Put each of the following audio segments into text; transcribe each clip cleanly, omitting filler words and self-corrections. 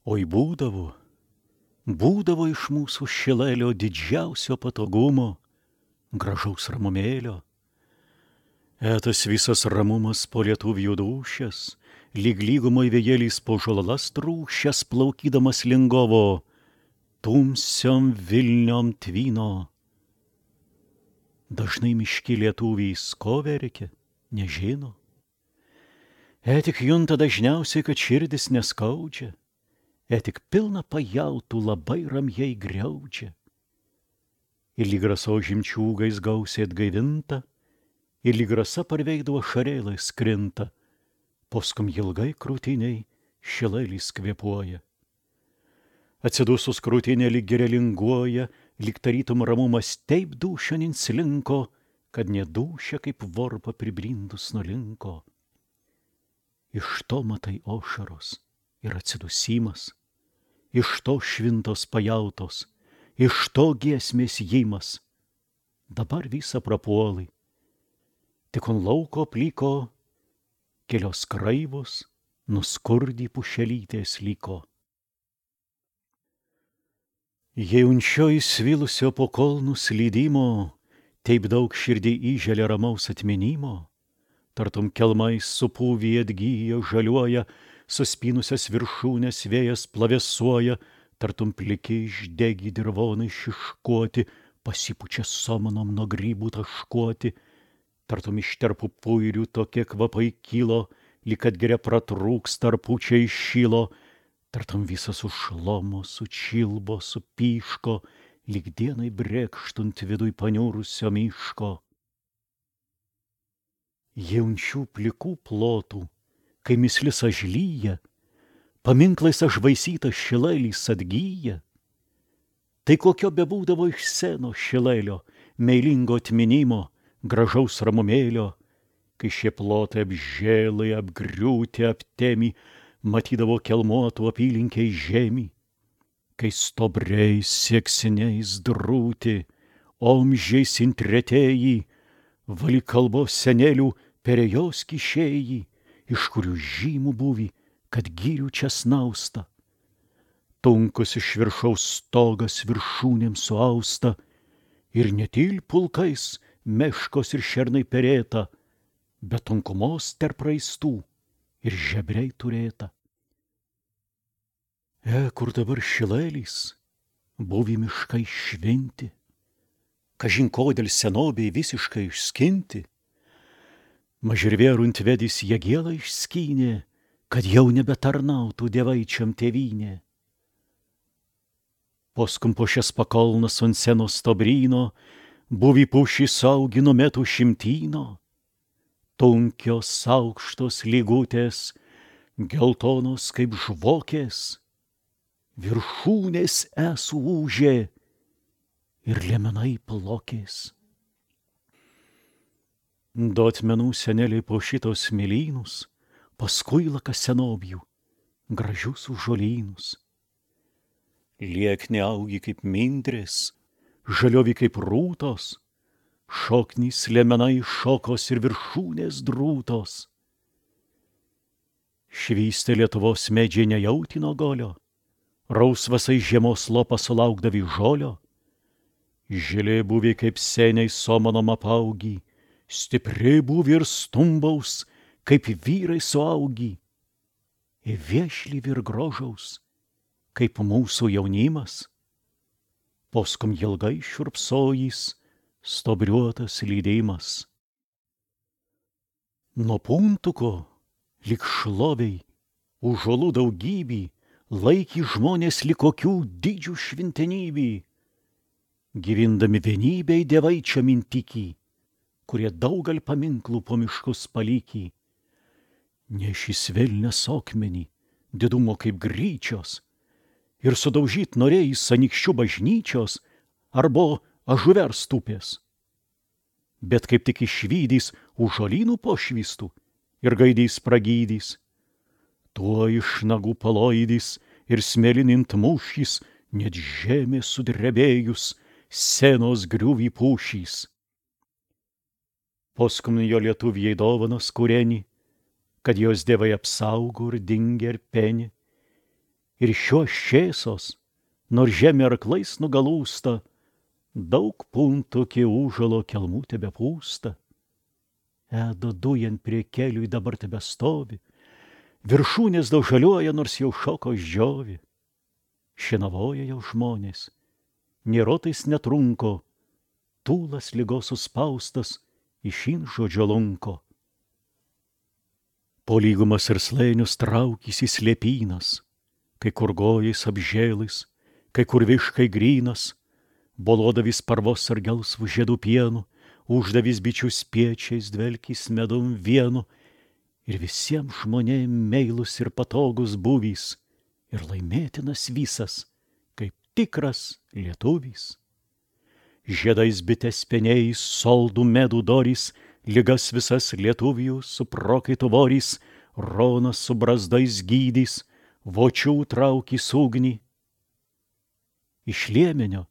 Oi būdavo iš mūsų Šilelio didžiausio patogumo, gražaus ramumėlio. Tas visas ramumas po lietuvių dūšias, lyg lygumoj vėjėlis po žolalas trūšias plaukydamas lingovo, tumsiom Vilniom tvyno. Dažnai miški lietuvys ko verkia, nežino. Tik junta dažniausiai, kad širdis neskaudžia, tik pilna pajautų labai ramiai griaudžia. Ir lyg raso žimčiūgais gausiai atgaivinta, ir lyg rasa parveikdavo šarėlai skrinta, poskum ilgai krūtiniai Šilelis kvėpuoja. Atsidusus krūtinė lyg gerelinguoja, lyg tarytum ramumas taip dūšion inslinko, kad nedūšia kaip vorpa pribrindus nulinko. Iš to matai ošaros ir atsidusimas, iš to švintos pajautos, iš to giesmės jimas. Dabar visa prapuolai, tik on lauko pliko kelios kraivos nuskurdy pušelytės liko. Jei unčioj svilusio po kolnų slydimo, taip daug širdį įželia ramaus atminimo, tartum kelmais supūvį atgyja, žaliuoja, suspynusias viršūnės vėjas plavesuoja, tartum pliki išdegi dirvonai šiškuoti, pasipučia somanom nuo grybų taškuoti, tartum iš terpų puirių tokie kvapai kilo, lyg atgeria pratrūks tarpučiai šilo, tartum visas užšlomo, sučilbo, supyško, lyg dienai brėkštunt viduj paniurusio miško. Jaunčių plikų plotų, kai mislis ažlyja, paminklais ažvaisytas Šilelis atgyja. Tai kokio bebūdavo iš seno Šilelio, meilingo atminimo, gražaus ramumėlio, kai šie plotai apžėlai, apgriūti, aptemi, matydavo kelmuotų apylinkiai žemį, kai stobriais sieksiniais drūti, omžiais intretėjai, vali kalbos senelių perėjos kišėjai, iš kurių žymų buvi, kad gyrių čia snausta. Tunkus iš viršaus stogas viršūnėm suausta, ir ne til pulkais meškos ir šernai perėta, bet tunkumos tarp raistų ir žebriai turėta. Kur dabar Šilelis, buvi miškai švinti, kažin kodėl senobei visiškai išskinti. Mažirvėrunt vedys Jagielą išskynė, kad jau nebetarnautų dievaičiam tėvynė. Poskum po šias pakolnas ant senos stobryno, buvi pušį saugino metų šimtyno, tunkios aukštos lygutės, geltonos kaip žvokės, viršūnės ūžė ir liemenai plokės. Du atmenų seneliai po šitos smėlynus, paskui laka senobių, gražius žolynus. Liekni augi kaip mindrės, žaliovi kaip rūtos, šoknys liemenai šokos ir viršūnės drūtos. Švystė Lietuvos medžiai nejautino golio, rausvasai žiemos lopas sulaukdavi žolio. Žilė buvi kaip seniai somanom apaugi, stipri buvi ir stumbaus, kaip vyrai suaugi, ir viešli vir grožaus, kaip mūsų jaunimas. Poskum ilgai šiurpsojis, stobriuotas lydimas. Nuo puntuko, lyg šloviai, užuolų daugybį, laikį žmonės lyg kokių didžių šventenybį, gyvindami vienybei dievaičiam intikį, kurie daugal paminklų po miškus palikį. Nešis velnias akmenį, didumo kaip gryčios, ir sudaužyt norėjai Anykščių bažnyčios arba Ažuver stupės. Bet kaip tik išvydys už žolynų pošvystų ir gaidys pragydys, tuo iš nagų paloidys ir smėlinint mūšys, net žemė sudrebėjus, senos griuvį pušys. Poskum jo lietuvijai dovanos kūreni, kad jos dievai apsaugo ir dingia ir peni, Ir šios šėsos, nors žemė arklais nugalūsta, daug puntų kie užalo kelmų tebepūsta. Edo dujant prie kelių dabar tebestovi, viršūnės daug žaliuoja, nors jau šoko išdžiovi. Šinavoja jau žmonės, nėrotais netrunko, tūlas ligos suspaustas iš inžodžio lunko. Po lygumas ir slėnius traukysi slėpynas, kai kur gojais apžėlais, kai kur viškai grynas, bolodavis parvos ar gelsvų žiedų pienu, uždavis bičių spiečiais dvelkis medum vienu, ir visiems žmonėm meilus ir patogus buvys, ir laimėtinas visas, kaip tikras lietuvis. Žiedais bitės penėjais, soldų medų dorys, ligas visas lietuvijų su prokaitu vorys, ronas su brazdais gydys, vočių traukys ugnį. Iš liemenio,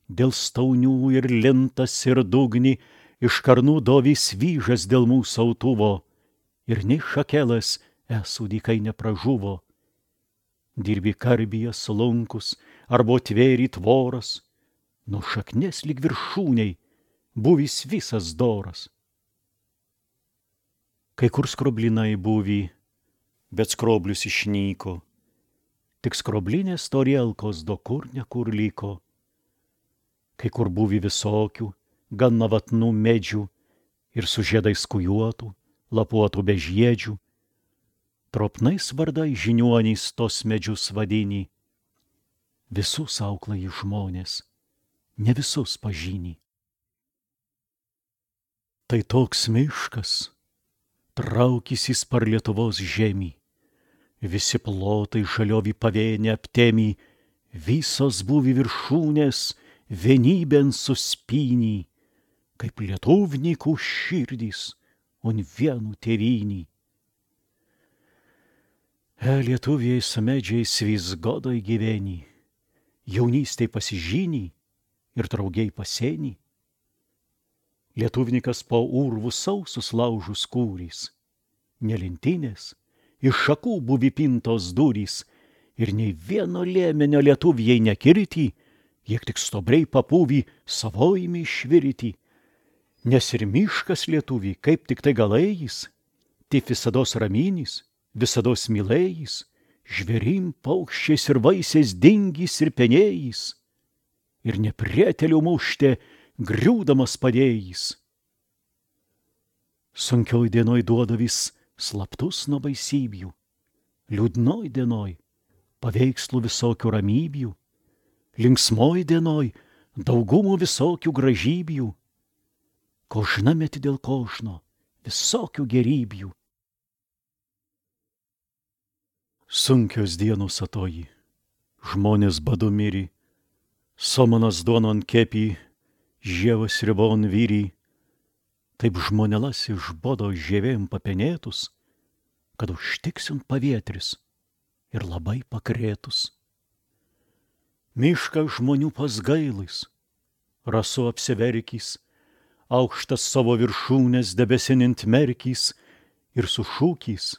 dėl staunių ir lintas ir dugni, iš karnų dovys vyžas dėl mūsų autuvo, ir nei šakelas esų dykai nepražuvo. Dirbi karbyje slunkus, arba tvėri tvoras, nuo šaknės lyg viršūniai, buvis visas doras. Kai kur skroblinai buvy, bet skroblius išnyko, tik skroblinės torielkos do kur nekur liko. Kai kur buvy visokių, gan navatnų medžių, ir su žiedais kujuotų, lapuotų bežiedžių, tropnais vardai žiniuoniais tos medžius vadini. Visus auklai žmonės, ne visus pažini. Tai toks miškas, traukysis par Lietuvos žemį, visi plotai žaliovi pavėnė aptemi, visos buvi viršūnės vienybėn suspynį, kaip lietuvnikų širdys, on vienų tėvynį. Lietuviai su medžiais vis godoj gyveni, jaunystėj pasižyni ir draugiai paseni. Lietuvnikas po urvų sausus laužus kūrys, nelintinės, iš šakų buvi pintos durys, ir nei vieno lėmenio lietuvijai nekirti, jie tik stobriai papūvį savojimi išvirti. Nes ir miškas lietuvį, kaip tik tai galėjis, taip visados ramynys, visados mylėjis, žvėrim, paukščiais ir vaisiais dingys ir penėjis, ir neprietelių mušte griūdamas padėjys. Sunkioj dienoj duodavis slaptus nuo baisybių, liūdnoj dienoj paveikslų visokių ramybių, linksmoj dienoj daugumų visokių gražybių, kožna meti dėl kožno visokių gerybių. Sunkios dienos atoji, žmonės badu miri, somanas duonon kepį, žievas ribon vyri, taip žmonelas iš bodo žievėm papenėtus, kad užtiksint pavietris ir labai pakrėtus. Mišką žmonių pasgailais, rasu apsiverkys, aukštas savo viršūnės debesinint merkys ir sušūkys: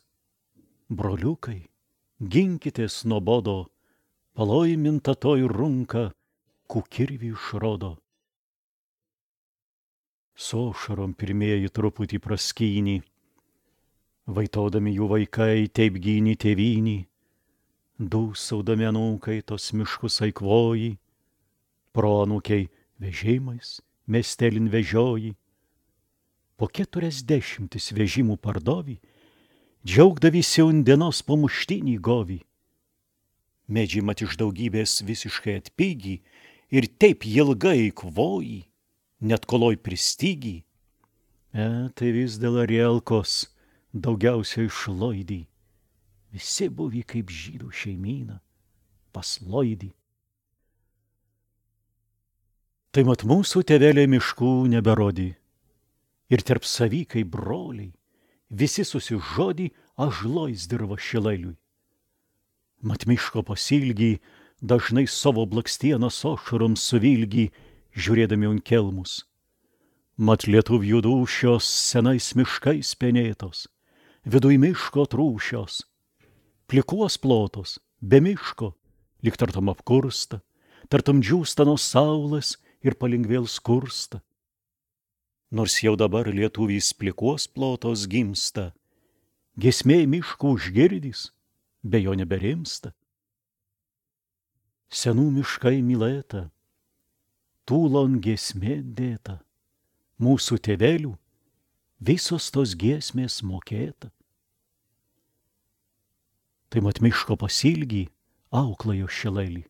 broliukai, ginkitės nuo bodo, palaiminta toj runka, kukirvį išrodo. Su ašarom pirmieji truputį praskynį, vaitodami jų vaikai taip gyni tėvynį, dūsaudami anūkai tos miškus eikvoji, proanūkiai vežimais miestelin vežioji. Po 40 vežimų pardovi, džiaugdavisi undienos pamuštinį govi. Medžiai mat iš daugybės visiškai atpigi ir taip ilgai eikvoji, net koloj pristygi. Tai vis dėl arielkos daugiausiai išloidį. Visi buvi kaip žydų šeimyna, pasloidį. Tai mat mūsų tėveliai miškų neberodi, ir tarp savy kaip broliai, visi susižodi ažlois dirva šileliui. Mat miško pasilgi dažnai savo blakstienas ošarom suvilgi, žiūrėdami ant kelmus. Mat lietuvių dūšios senais miškais penėtos, viduj miško trūšios, plikuos plotos, be miško, lyg tartum apkursta, tartum džiūsta nuo saulės ir palengvėl skursta. Nors jau dabar lietuvys plikos plotos gimsta, giesmė miškų užgirdys, be jo neberimsta. Senų miškai mylėta, tūlon giesmė dėta, mūsų tėvelių visos tos giesmės mokėta. Tai mat miško pasilgį auklajo šilelį,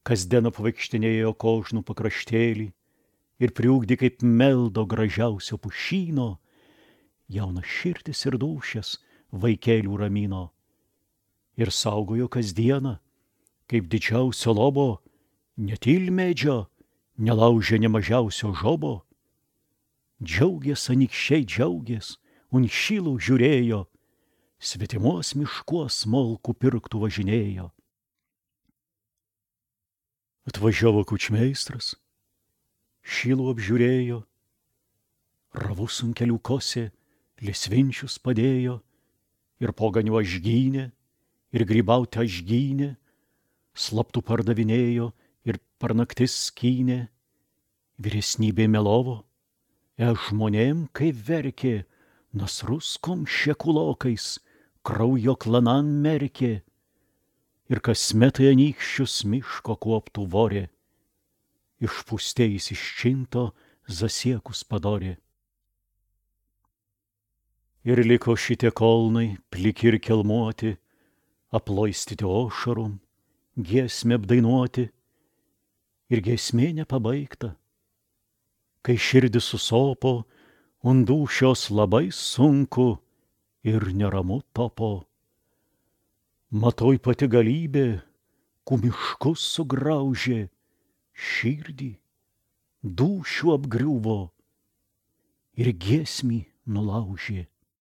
kasdien apvaikštinėjo kožnų pakraštėlį ir priugdė kaip meldo gražiausio pušyno, jaunas širdis ir dūšias vaikelių ramino ir saugojo kasdieną, kaip didžiausio lobo, netilmedžio, nelaužė nemažiausio žobo. Džiaugės anykščiai džiaugės, unšilų žiūrėjo, svetimos miškuos smolkų pirktų važinėjo. Atvažiavo kučmeistras, šilų apžiūrėjo, ravus ant kelių kosė, lesvinčius padėjo, ir poganių ažgynė, ir grybauti ažgynė, slaptų pardavinėjo ir per naktis skynė. Vyresnybė melovo, žmonėm kaip verkė, nasrus komšė kulokais, kraujo klanan merkė, ir kasmet anykščius miško kuoptų vorė, išpūstėjus iš činto zasiekus padorė. Ir liko šitie kolnai, pliki ir kelmuoti, aploistyti ošarum, giesmę apdainuoti, ir giesmė nepabaigta. Kai širdis susopo, ant dūšios labai sunku ir neramu topo. Matoj pati galybė, kumiškus sugraužė, širdį dūšių apgriuvo ir giesmį nulaužė.